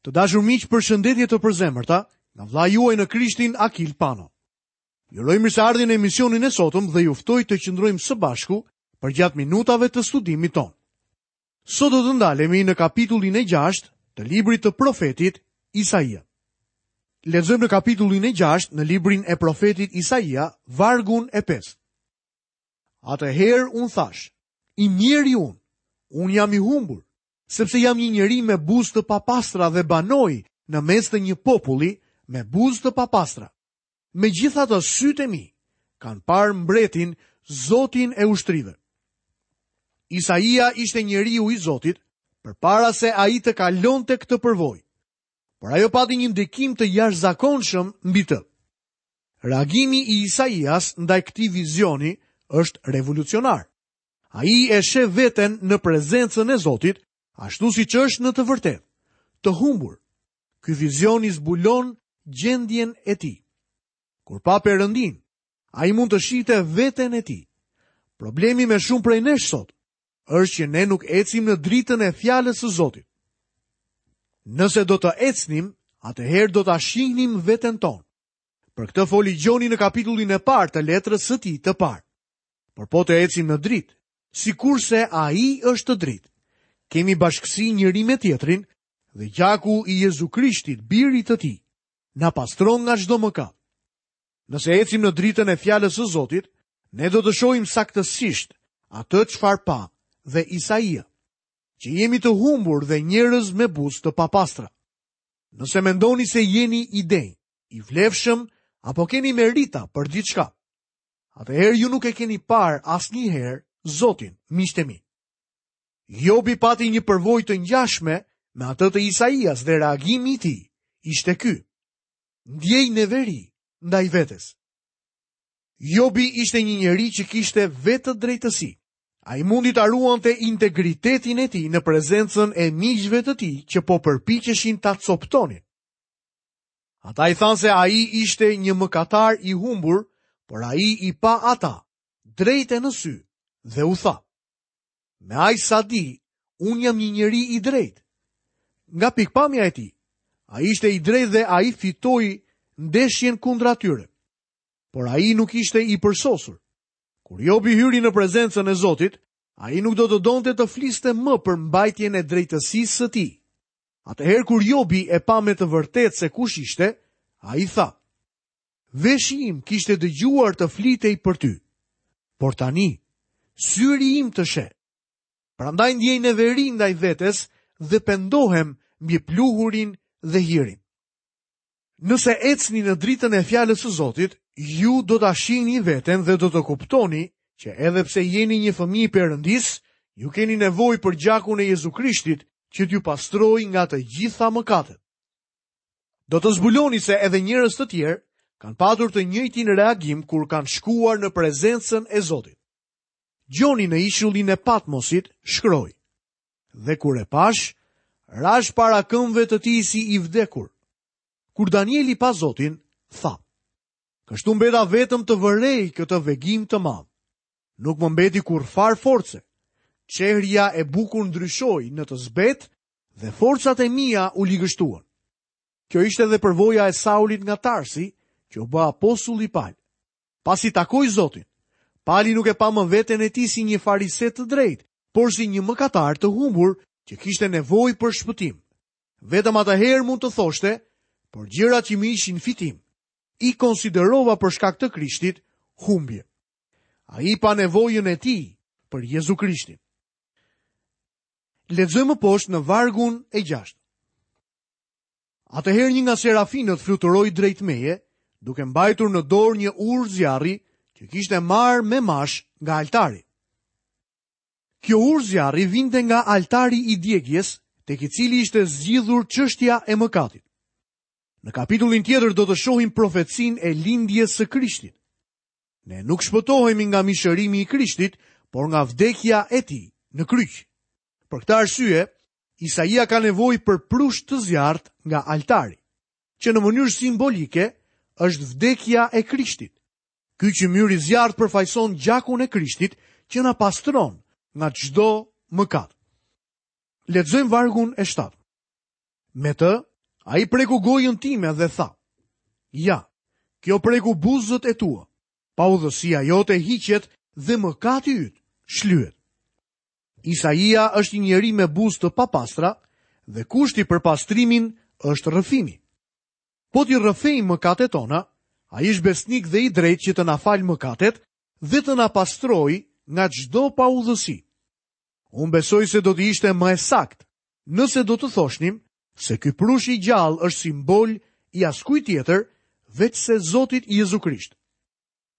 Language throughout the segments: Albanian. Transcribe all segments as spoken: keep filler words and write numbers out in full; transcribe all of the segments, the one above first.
Të dashur miq, përshëndetje të përzemërta nga vëllai juaj në Krishtin Akil Pano. Ju uroj mirëseardhjen në emisionin e sotëm dhe ju ftoj të qëndrojmë së bashku përgjatë minutave të studimit tonë. Sot do të ndalemi në kapitullin e gjashtë të librit të profetit Isaia. Lexojmë në kapitullin e gjashtë në librin e profetit Isaia, vargun e pesë. Atëherë unë thashë, i mjeri unë, unë jam i humbur, sepse jam një njeri me buzë të papastra dhe banoj në mes të një populli me buzë të papastra. Megjithatë sytë e mi kanë parë mbretin, Zotin e ushtrive. Isaia ishte njeriu i Zotit përpara se ai të kalonte këtë përvojë. Por ajo pati një ndikim të jashtëzakonshëm mbi të. Reagimi i Isaias ndaj këtij vizioni është revolucionar. Ai e sheh veten në prezencën e Zotit, ashtu siç është në të vërtetë, të humbur. Ky vizion i zbulon gjendjen e tij. Kur pa Perëndin, ai mund të shihte veten e tij. Problemi me shumë prej nesh sot është që ne nuk ecim në dritën e fjalës së Zotit. Nëse do të ecnim, atëherë do ta shihnim veten tonë. Për këtë foli Gjoni në kapitullin e parë të letrës së tij të parë. Por po të ecim në dritë, sikurse ai është dritë, kemi bashkësi njëri me tjetrin dhe gjaku i Jezu Krishtit, birit të tij, na pastron nga çdo mëkat. Nëse ecim në dritën e fjalës së Zotit, ne do të shohim saktësisht atë çfarë pa dhe Isaia, që jemi të humbur dhe njerëz me buzë të papastra. Nëse mendoni se jeni i denjë, i vlefshëm apo keni merita për diçka, atëherë ju nuk e keni parë asnjëherë Zotin, miqtë e mi. Jobi pati një përvojë të ngjashme me atë të Isaias dhe reagimi i tij ishte ky: ndjej neveri ndaj vetes. Jobi ishte një njeri që kishte vetë drejtësi. Ai mundi ta ruante integritetin e tij në prezencën e miqve të tij që po përpiqeshin ta coptonin. Ata i thanë se ai ishte një mëkatar i humbur, por ai i pa ata drejt e në sy dhe u tha: me aq sa di, unë jam një njeri i drejtë. Nga pikpamja e tij, ai ishte i drejtë dhe ai fitoi ndeshjen kundra tyre. Por ai nuk ishte i përsosur. Kur Jobi hyri në prezencën e Zotit, ai nuk do të donte të fliste më për mbajtjen e drejtësisë së tij. Atëherë kur Jobi e pa me të vërtetë se kush ishte, ai tha: veshi im kishte dëgjuar të flitej për ty, por tani syri im të sheh. Prandaj ndjej neveri ndaj vetes dhe pendohem mbi pluhurin dhe hirin. Nëse ecni në dritën e fjalës së Zotit, ju do ta shihni veten dhe do të kuptoni që edhe pse jeni një fëmijë i Perëndisë, ju keni nevojë për gjakun e Jezu Krishtit që t'ju pastrojë nga të gjitha mëkatet. Do të zbuloni se edhe njerëz të tjerë kanë patur të njëjtin reagim kur kanë shkuar në prezencën e Zotit. Gjoni në ishullin e Patmosit shkroi: dhe kur e pash, rash para këmbëve të tij si i vdekur. Kur Danieli pa Zotin, tha: kështu mbeta vetëm të vërej këtë vegim të madh. Nuk më mbeti kurrfar force. Çehrja e bukur ndryshoi në të zbet dhe forcat e mia u ligështuan. Kjo ishte edhe përvoja e Saulit nga Tarsi, që u bë apostulli Pal. Pasi takoi Zotin, Pali nuk e pa më veten e tij si një farise të drejtë, por si një mëkatar të humbur që kishte nevojë për shpëtim. Vetëm atëherë mund të thoshte, por gjërat që më ishin fitim, i konsiderova për shkak të Krishtit humbje. Ai pa nevojën e tij për Jezu Krishtin. Lexojmë poshtë në vargun e gjashtë. Atëherë një nga serafinët fluturoi drejt meje, duke mbajtur në dorë një urë zjarri që kishte marrë me mash nga altari. Kjo urë zjarri vinte nga altari i djegjes, tek i cili ishte zgjidhur çështja e mëkatit. Në kapitullin tjetër do të shohim profecinë e lindjes së Krishtit. Ne nuk shpëtohemi nga mishërimi i Krishtit, por nga vdekja e tij në kryq. Për këtë arsye, Isaia ka nevojë për prush të zjarrt nga altari, që në mënyrë simbolike është vdekja e Krishtit. Ky qymyr i zjarrt përfaqëson gjakun e Krishtit që na pastron nga çdo mëkat. Lexojmë vargun e shtatë. Me të Ai preku gojën time dhe tha: Ja, kjo preku buzët e tua. Paudhësia jote hiqet dhe mëkati yt shlyhet. Isaia është një njeri me buzë të papastra dhe kushti për pastrimin është rrëfimi. Po t'i rrëfejmë mëkatet tona, ai është besnik dhe i drejtë që të na falë mëkatet dhe të na pastrojë nga çdo paudhësi. Unë besoj se do të ishte më e saktë nëse do të thoshnim se ky prush i gjallë është simbol i askujt tjetër veçse Zotit Jezu Krisht.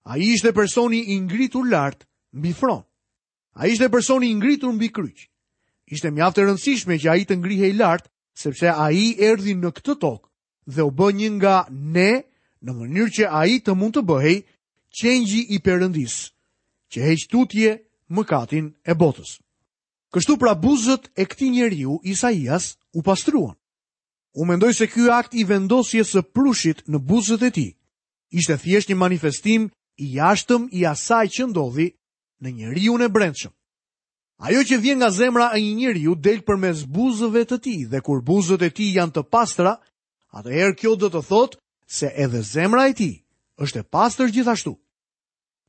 Ai ishte personi i ngritur lart mbi fron. Ai ishte personi i ngritur mbi kryq. Ishte mjaft e rëndësishme që ai të ngrihej lart, sepse ai erdhi në këtë tokë dhe u bë një nga ne në mënyrë që ai të mund të bëhej qengji i Perëndisë, që heq tutje mëkatin e botës. Kështu pra buzët e këtij njeriu, Isaias, u pastruan. Unë mendoj se ky akt i vendosjes së prushit në buzët e tij ishte thjesht një manifestim i jashtëm i asaj që ndodhi në njeriun e brendshëm. Ajo që vjen nga zemra e një njeriu del përmes buzëve të tij dhe kur buzët e tij janë të pastra, atëherë kjo do të thotë se edhe zemra e tij është e pastër gjithashtu.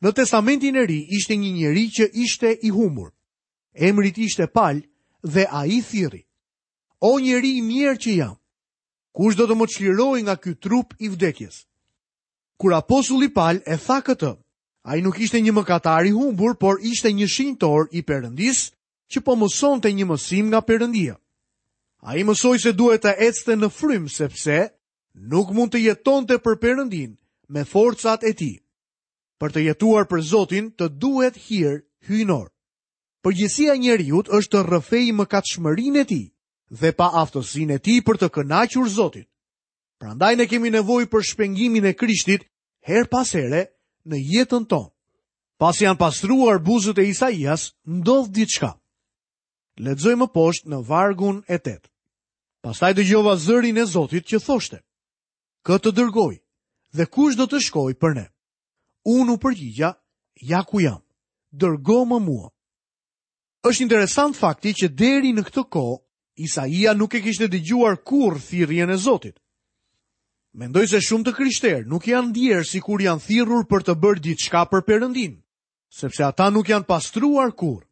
Në Testamentin e Ri ishte një njeri që ishte i humbur. Emri i tij ishte Pal dhe ai thirri: O njeri i mirë që jam, kush do të më çlirojë nga ky trup i vdekjes? Kur apostulli Pal e tha këtë, ai nuk ishte një mëkatar i humbur, por ishte një shenjtor i Perëndisë që po mësonte një mësim nga Perëndia. Ai mësoi se duhet të ecte në frymë, sepse nuk mund të jetonte për Perëndin me forcat e tij. Për të jetuar për Zotin, të duhet hir hyjnor. Përgjegjësia e njeriut është të rrëfejë mëkatshmërinë e tij dhe paaftësinë e tij për të kënaqur Zotin. Prandaj ne kemi nevojë për shpengimin e Krishtit her pas here në jetën tonë. Pasi janë pastruar buzët e Isaias, ndodh diçka. Lexojmë më poshtë në vargun e tetë. Pastaj dëgjova zërin e Zotit që thoshte: Kë të dërgoj dhe kush do të shkojë për ne? Unë u përgjigja: Ja ku jam, dërgo më mua. Është interesant fakti që deri në këtë kohë Isaia nuk e kishte dëgjuar kurrë thirrjen e Zotit. Mendoj se shumë të krishterë nuk janë ndjerë sikur janë thirrur për të bërë diçka për Perëndin, sepse ata nuk janë pastruar kurrë.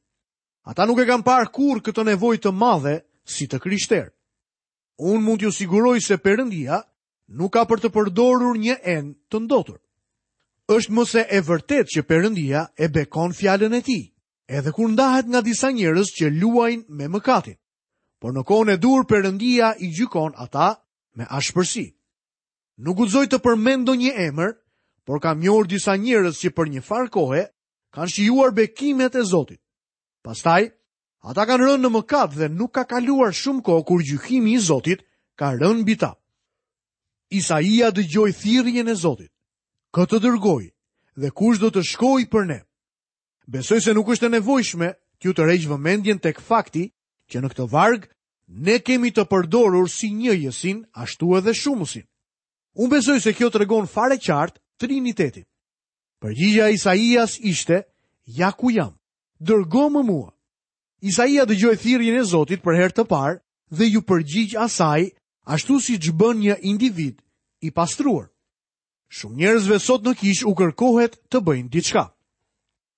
Ata nuk e kanë parë kurrë këtë nevojë të madhe si të krishterë. Unë mund t'ju siguroj se Perëndia nuk ka për të përdorur një enë të ndotur. Është më se e vërtetë që Perëndia e bekon fjalën e tij, edhe kur ndahet nga disa njerëz që luajnë me mëkatin. Por në kohën e duhur Perëndia i gjykon ata me ashpërsi. Nuk guxoj të përmend ndonjë emër, por kam njohur disa njerëz që për një farë kohe kanë shijuar bekimet e Zotit. Pastaj, ata kanë rënë në mëkat dhe nuk ka kaluar shumë kohë kur gjykimi i Zotit ka rënë mbi ta. Isaia dëgjoi thirrjen e Zotit: Kë të dërgoj dhe kush do të shkojë për ne? Besoj se nuk është e nevojshme t'ju tërheq vëmendjen tek fakti që në këtë varg ne kemi të përdorur si njëjësin, ashtu edhe shumësin. Unë besoj se kjo tregon fare qartë Trinitetin. Përgjigja e Isaias ishte: Ja ku jam, dërgo më mua. Isaia dëgjoi thirrjen e Zotit për herë të parë dhe ju përgjigj asaj ashtu siç bën një individ i pastruar. Shumë njerëzve sot në kishë u kërkohet të bëjnë diçka.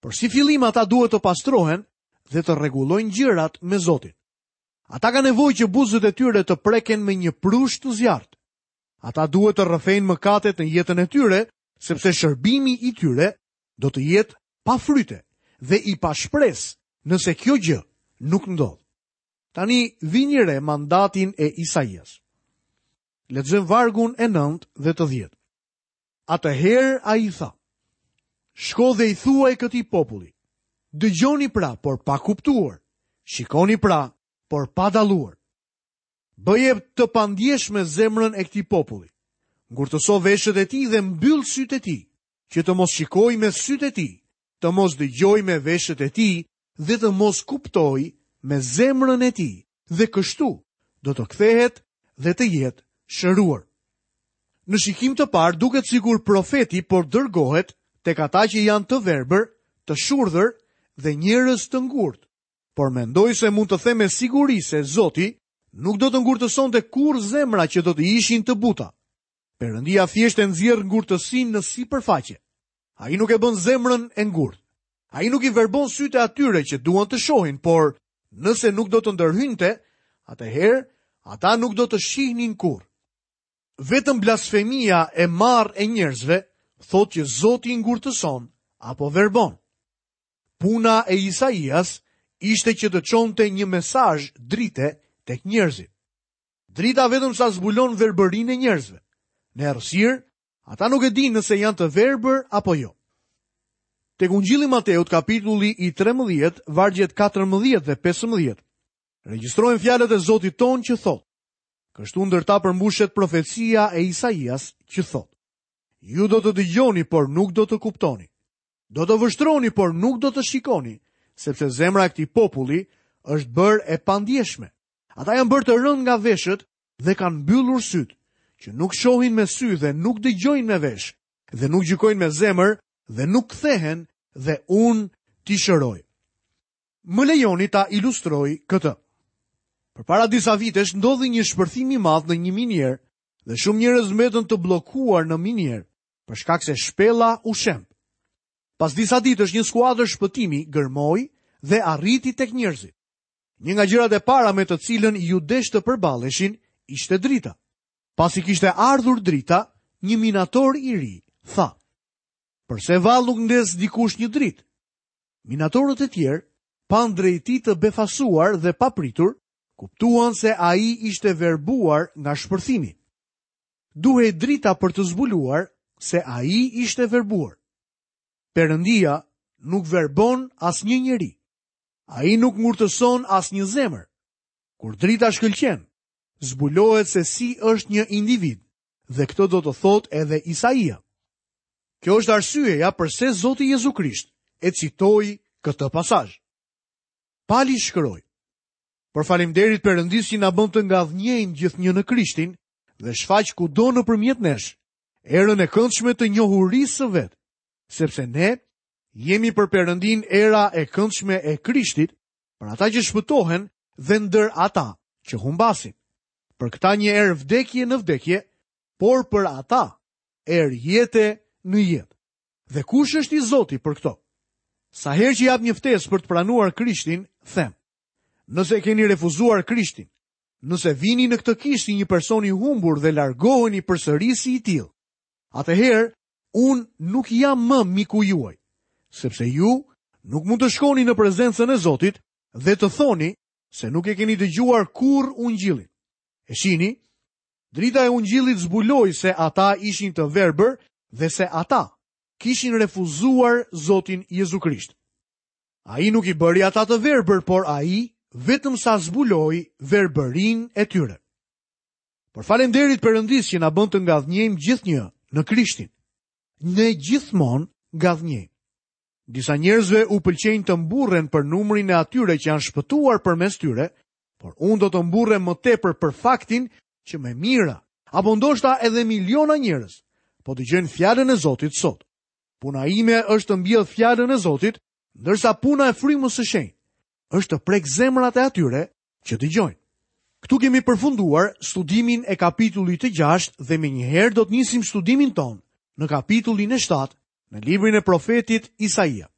Por si fillim ata duhet të pastrohen dhe të rregullojnë gjërat me Zotin. Ata kanë nevojë që buzët e tyre të preken me një prush të zjarrt. Ata duhet të rrëfejnë mëkatet në jetën e tyre, sepse shërbimi i tyre do të jetë pa fryte dhe i pashpresë nëse kjo gjë nuk ndodh. Tani vini re mandatin e Isaias. Lexojmë vargun e nëntë dhe të dhjetë. Atëherë ai tha: Shko dhe i thuaj këtij populli: Dëgjoni pra, por pa kuptuar. Shikoni pra, por pa dalluar. Bëje të pandjeshme zemrën e këtij populli. Ngurtëso veshët e tij dhe mbyll sytë e tij, që të mos shikojë me sytë e tij, të mos dëgjojë me veshët e tij dhe të mos kuptojë me zemrën e tij, dhe kështu do të kthehet dhe të jetë shëruar. Në shikim të parë duket sikur profeti por dërgohet tek ata që janë të verbër, të shurdhër dhe njerëz të ngurtë, por mendoj se mund të them me siguri se Zoti nuk do të ngurtësonte kurrë zemra që do të ishin të buta. Perëndia thjesht e nxjerr ngurtësinë në sipërfaqe. Ai nuk e bën zemrën e ngurtë. Ai nuk i verbon sytë e atyre që duan të shohin, por nëse nuk do të ndërhynte, atëherë ata nuk do të shihnin kurrë. Vetëm blasfemia e marrë e njerëzve thotë që Zoti ngurtëson apo verbon. Puna e Isaias ishte që të çonte një mesazh drite tek njerëzit. Drita vetëm sa zbulon verbërinë e njerëzve. Në errësirë, ata nuk e dinë nëse janë të verbër apo jo. Tek Ungjilli Mateut, kapitulli i trembëdhjetë, vargjet katërmbëdhjetë dhe pesëmbëdhjetë, regjistrohen fjalët e Zotit ton që thotë: Kështu ndër ta përmbushet profecia e Isaias që thotë: Ju do të dëgjoni, por nuk do të kuptoni. Do të vështroni, por nuk do të shikoni, sepse zemra e këtij populli është bërë e pandjeshme. Ata janë bërë të rënd nga veshët dhe kanë mbyllur sytë, që nuk shohin me sy dhe nuk dëgjojnë me vesh, dhe nuk gjykojnë me zemër dhe nuk kthehen dhe unë t'i shëroj. Më lejoni ta ilustroj këtë. Përpara disa vitesh ndodhi një shpërthim i madh në një minierë dhe shumë njerëz mbetën të bllokuar në minierë për shkak se shpella u shemb. Pas disa ditësh një skuadër shpëtimi gërmoi dhe arriti tek njerëzit. Një nga gjërat e para me të cilën ju desh të përballeshin ishte drita. Pasi kishte ardhur drita, një minator i ri tha: Përse vallë nuk ndez dikush një dritë? Minatorët e tjerë, panë drejti të befasuar dhe papritur, kuptuan se ai ishte verbuar nga shpërthimi. Duhej drita për të zbuluar se ai ishte verbuar. Perëndia nuk verbon asnjë njeri. Ai nuk ngurtëson asnjë zemër. Kur drita shkëlqen, zbulohet se si është një individ, dhe këtë do të thotë edhe Isaia. Kjo është arsyeja përse Zoti Jezu Krisht e citoi këtë pasazh. Pali shkroi: Por faleminderit Perëndisë që na bën të ngadhnjejmë gjithnjë në Krishtin dhe shfaq kudo nëpërmjet nesh erën e këndshme të njohurisë së vet, sepse ne jemi për Perëndin era e këndshme e Krishtit, për ata që shpëtohen dhe ndër ata që humbasin. Për këta një erë vdekje në vdekje, por për ata erë jete në jetë. Dhe kush është i Zoti për këto? Sa herë që jap një ftesë për të pranuar Krishtin, them: Nëse keni refuzuar Krishtin, nëse vini në këtë kishë si një person i humbur dhe largoheni përsëri si i tillë, atëherë unë nuk jam më miku juaj, sepse ju nuk mund të shkoni në prezencën e Zotit dhe të thoni se nuk e keni dëgjuar kurrë ungjillin. E shihni, drita e ungjillit zbuloi se ata ishin të verbër dhe se ata kishin refuzuar Zotin Jezu Krisht. Ai nuk i bëri ata të verbër, por ai vetëm sa zbuloi verbërinë e tyre. Por faleminderit Perëndisë që na bën të ngadhnjejmë gjithnjë në Krishtin. Ne gjithmonë ngadhnjejmë. Disa njerëzve u pëlqejnë të mburren për numrin e atyre që janë shpëtuar përmes tyre, por unë do të mburrem më tepër për faktin që me mijëra, apo ndoshta edhe miliona njerëz, po dëgjojnë fjalën e Zotit sot. Puna ime është të mbjell fjalën e Zotit, ndërsa puna e frymës së shenjtë është të prek zemrat e atyre që dëgjojnë. Këtu kemi përfunduar studimin e kapitullit të gjashtë dhe menjëherë do të nisim studimin tonë në kapitullin e shtatë në librin e profetit Isaia.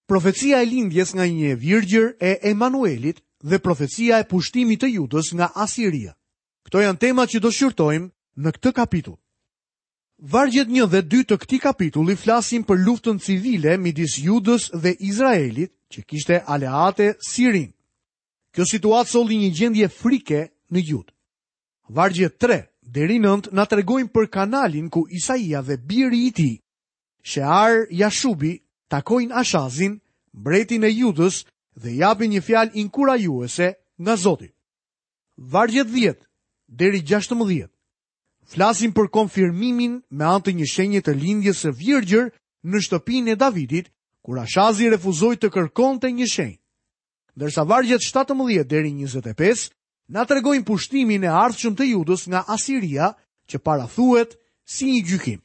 Profecia e lindjes nga një e virgjër e Emanuelit dhe profecia e pushtimit të Judës nga Asiria. Këto janë temat që do shqyrtojmë në këtë kapitull. Vargjet një dhe dy të këtij kapitulli flasin për luftën civile midis Judës dhe Izraelit, që kishte aleate Sirin. Kjo situatë solli një gjendje frike në Judë. Vargjet tre deri nëntë na tregojnë për kanalin ku Isaia dhe biri i tij, Shear Jashubi, takojnë Ashazin, mbretin e Judës, dhe japin një fjalë inkurajuese nga Zoti. Vargjet dhjetë deri gjashtëmbëdhjetë flasin për konfirmimin me anë të një shenje të lindjes së virgjër në shtëpinë e Davidit, kur Ashazi refuzoi të kërkonte një shenjë. Ndërsa vargjet shtatëmbëdhjetë deri njëzet e pesë na tregojnë pushtimin e ardhshëm të Judës nga Asiria, që parathuhet si një gjykim.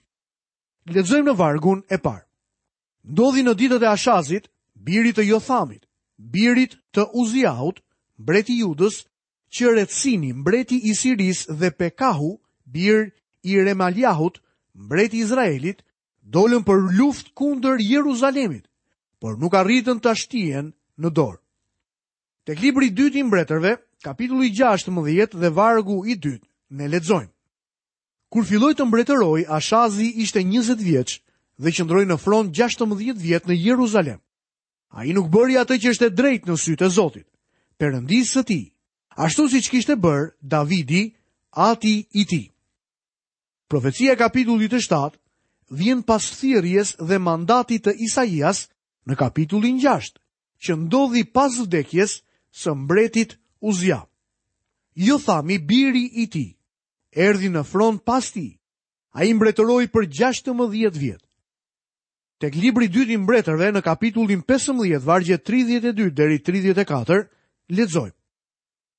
Lexojmë në vargun e parë. Ndodhi në ditët e Ashazit, birit të Jothamit, birit të Uziahut, mbreti i Judës, që Retsini, mbreti i Sirisë dhe Pekahu, bir i Remaliahut, mbreti i Izraelit, dolën për luftë kundër Jeruzalemit, por nuk arritën ta shtien në dorë. Tek libri i dytë i mbretërve, kapitulli gjashtëmbëdhjetë dhe vargu i dytë, ne lexojmë. Kur filloi të mbretërojë, Ashazi ishte njëzet vjeç dhe qëndroi në fron gjashtëmbëdhjetë vjet në Jeruzalem. Ai nuk bëri atë që është e drejtë në sytë e Zotit, Perëndisë së tij, ashtu siç kishte bërë Davidi, ati i tij. Profecia e kapitullit të shtatë vjen pas thirrjes dhe mandatit të Isaias në kapitullin gjashtë, që ndodhi pas vdekjes së mbretit Uzia. Jothami, biri i tij, erdhi në fron pas tij. Ai mbretëroi për gjashtëmbëdhjetë vjet. Tek libri i dytë i mbretërve në kapitullin pesëmbëdhjetë, vargje tridhjetë e dy deri tridhjetë e katër, lexojmë.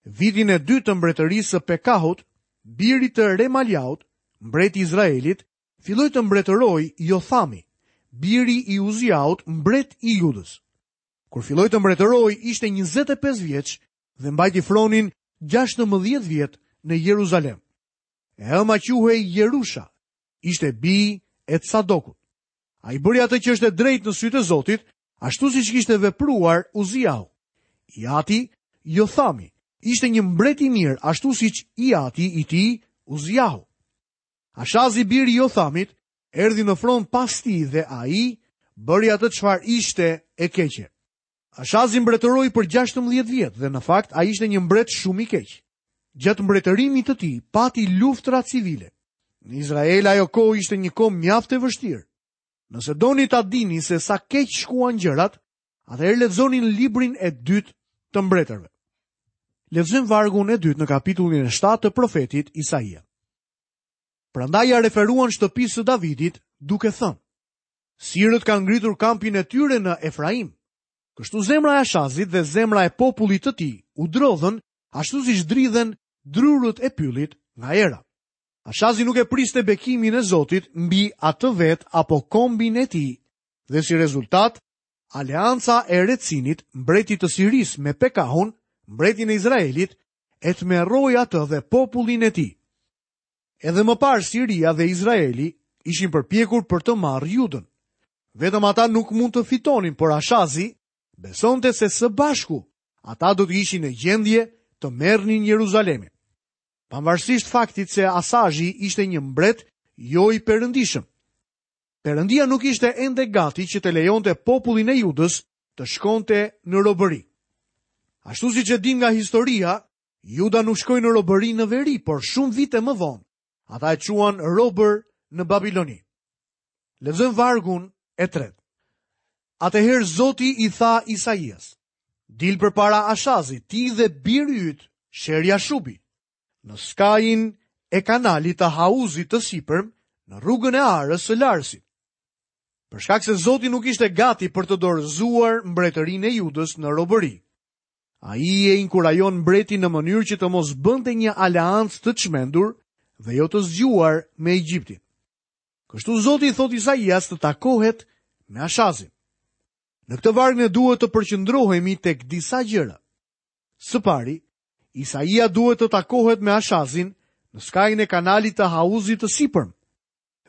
Vitin e dytë të mbretërisë së Pekahut, birit të Remaliahut, mbreti i Izraelit, filloi të mbretërojë Jothami, biri i Uziahut, mbret i Judës. Kur filloi të mbretërojë, ishte njëzet e pesë vjeç dhe mbajti fronin gjashtëmbëdhjetë vjet në Jeruzalem. E ëma quhej Jerusha, ishte bijë e Tsadokut. Ai bëri atë që është e drejtë në sytë e Zotit, ashtu siç kishte vepruar Uziahu. I ati, Jothami, ishte një mbret i mirë, ashtu siç i ati i tij, Uziahu. Ashazi biri i Jothamit erdhi në fron pas tij dhe ai bëri atë çfarë ishte e keqe. Ashazi mbretëroi për gjashtëmbëdhjetë vjet dhe në fakt ai ishte një mbret shumë i keq. Gjatë mbretërimit të tij pati luftra civile. Në Izrael ajo kohë ishte një kohë mjaft e vështirë. Nëse doni ta dini se sa keq shkuan gjërat, atëherë lexoni në librin e dytë të mbretërve. Lexojmë vargun e dytë në kapitullin e shtatë të profetit Isaia. Prandaj ja referuan shtëpisë së Davidit, duke thënë: Sirët kanë ngritur kampin e tyre në Efraim. Kështu zemra e Ashazit dhe zemra e popullit të tij u drodhën, ashtu siç dridhen drurët e pyllit nga era. Ashazi nuk e priste bekimin e Zotit mbi atë vet apo kombin e tij, dhe si rezultat, aleanca e Retsinit, mbretit të Sirisë me Pekahun, mbretin e Izraelit, e tmerroi atë dhe popullin e tij. Edhe më parë Siria dhe Izraeli ishin përpjekur për të marrë Judën. Vetëm ata nuk mund të fitonin, por Ashazi besonte se së bashku ata do të ishin në gjendje të merrnin Jeruzalemin. Pavarësisht faktit se Ashazi ishte një mbret jo i perëndishëm. Perëndia nuk ishte ende gati që të lejonte popullin e Judës të shkonte në robëri. Ashtu siç e dim nga historia, Juda nuk shkoi në robëri në veri, por shumë vite më vonë, ata e quan robër në Babiloni. Lexojmë vargun e tretë. Atëherë Zoti i tha Isaias: Dil përpara Ashazit, ti dhe biri yt, Sherja Shubi, në skajin e kanalit të hauzit të sipërm, në rrugën e arës së Larsit. Për shkak se Zoti nuk ishte gati për të dorëzuar mbretërinë e Judës në robëri, ai e inkurajon mbretin në mënyrë që të mos bënte një aleancë të çmendur dhe jo të zgjuar me Egjiptin. Kështu Zoti i thot Isaias të takohet me Ashazin. Në këtë varg ne duhet të përqendrohemi tek disa gjëra. Së pari, Isaia duhet të takohet me Ashazin në skajin e kanalit të hauzit të sipërm.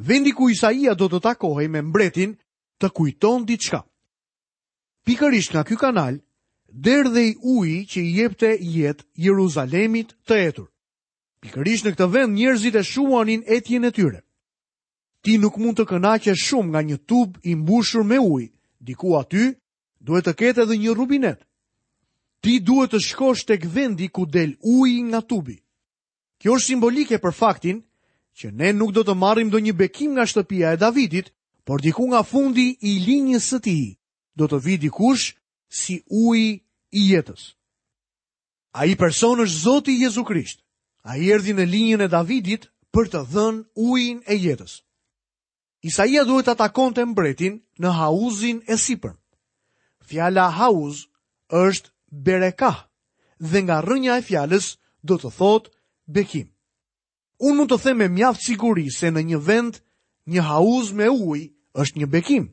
Vendi ku Isaia do të takohej me mbretin të kujton diçka. Pikërisht nga ky kanal derdhej uji që i jepte jetë Jeruzalemit të etur. Pikërisht në këtë vend njerëzit e shuanin etjen e tyre. Ti nuk mund të kënaqesh shumë nga një tub i mbushur me ujë, diku aty duhet të ketë edhe një rubinet. Ti duhet të shkosh tek vendi ku del uji nga tubi. Kjo është simbolike për faktin që ne nuk do të marrim ndonjë bekim nga shtëpia e Davidit, por diku nga fundi i linjës së tij do të vijë dikush si uji i jetës. Ai person është Zoti Jezu Krisht. Ai erdhi në linjën e Davidit për të dhënë ujin e jetës. Isaia duhet ta takonte mbretin në hauzin e sipërm. Fjala hauz është berekah dhe nga rrënja e fjalës do të thotë bekim. Unë mund të them me mjaft siguri se në një vend një hauz me ujë është një bekim.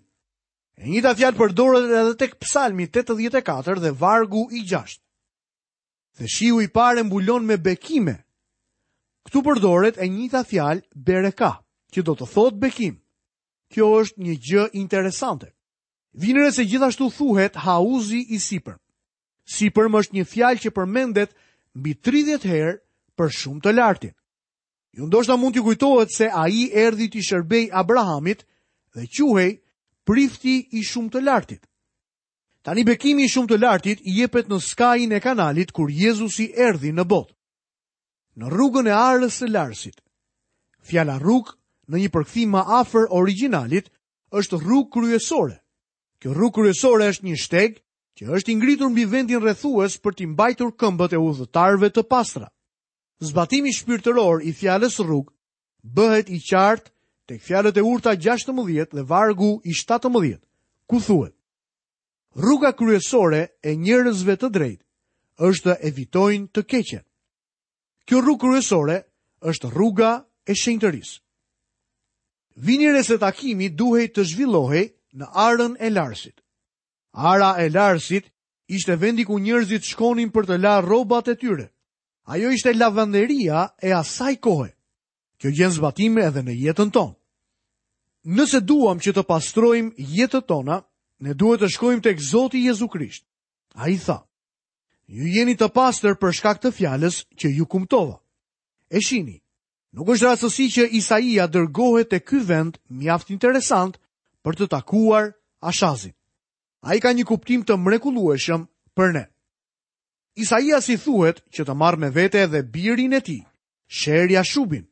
E njëjta fjalë përdoret edhe tek Psalmi tetëdhjetë e katër dhe vargu i gjashtë. Dhe shiu i parë e mbulon me bekime. Këtu përdoret e njëjta fjalë bereka, që do të thotë bekim. Kjo është një gjë interesante. Vini re se gjithashtu thuhet hauzi i sipërm. Sipërm është një fjalë që përmendet mbi tridhjetë herë për shumë të lartin. Ju ndoshta mund t'ju kujtohet se ai erdhi t'i shërbej Abrahamit dhe quhej prifti i shumë të lartit. Tani bekimi i shumë të lartit i jepet në skajin e kanalit kur Jezusi erdhi në botë. Në rrugën e arës së Larsit. Fjala rrugë në një përkthim më afër origjinalit është rrugë kryesore. Kjo rrugë kryesore është një shteg që është i ngritur mbi vendin rrethues për t'i mbajtur këmbët e udhëtarëve të pastra. Zbatimi shpirtëror i fjalës rrugë bëhet i qartë tek fjalët e urta gjashtëmbëdhjetë dhe vargu i shtatëmbëdhjetë, ku thuhet: Rruga kryesore e njerëzve të drejtë është të evitojnë të keqen. Kjo rrugë kryesore është rruga e shenjtërisë. Vini re se takimi duhej të zhvillohej në arën e Larsit. Ara e Larsit ishte vendi ku njerëzit shkonin për të larë rrobat e tyre. Ajo ishte lavanderia e asaj kohe. Kjo gjen zbatime edhe në jetën tonë. Nëse duam që të pastrojmë jetët tona, ne duhet të shkojmë tek Zoti Jezu Krisht. Ai tha: Ju jeni të pastër për shkak të fjalës që ju kumtova. E shini, nuk është rastësi që Isaia dërgohet te ky vend mjaft interesant për të takuar Ashazin. Ai ka një kuptim të mrekullueshëm për ne. Isaia si thuhet që të marrë me vete edhe birin e tij, Sher Jashubin.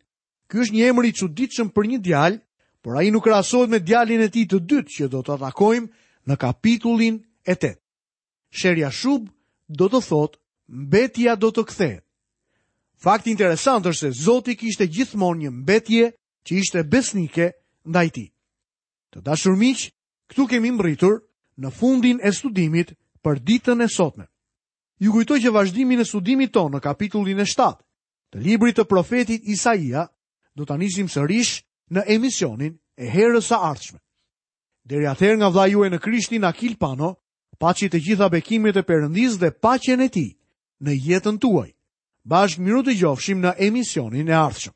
Ky është një emër i çuditshëm për një djalë, por ai nuk krahasohet me djalin e tij të dytë që do ta takojmë në kapitullin e tetë. Sher Jashub do të thotë mbetja do të kthehet. Fakti interesant është se Zoti kishte gjithmonë një mbetje që ishte besnike ndaj tij. Të dashur miq, këtu kemi mbërritur në fundin e studimit për ditën e sotme. Ju kujtoj që vazhdimin e studimit tonë në kapitullin e shtatë të librit të profetit Isaia do ta nisim sërish në emisionin e herës së ardhshme. Deri atëherë nga vëllai juaj në Krishtin Akil Pano, paçi të gjitha bekimet e Perëndisë dhe paqen e tij në jetën tuaj. Bashkë miru të gjofshim në emisionin e ardhshëm.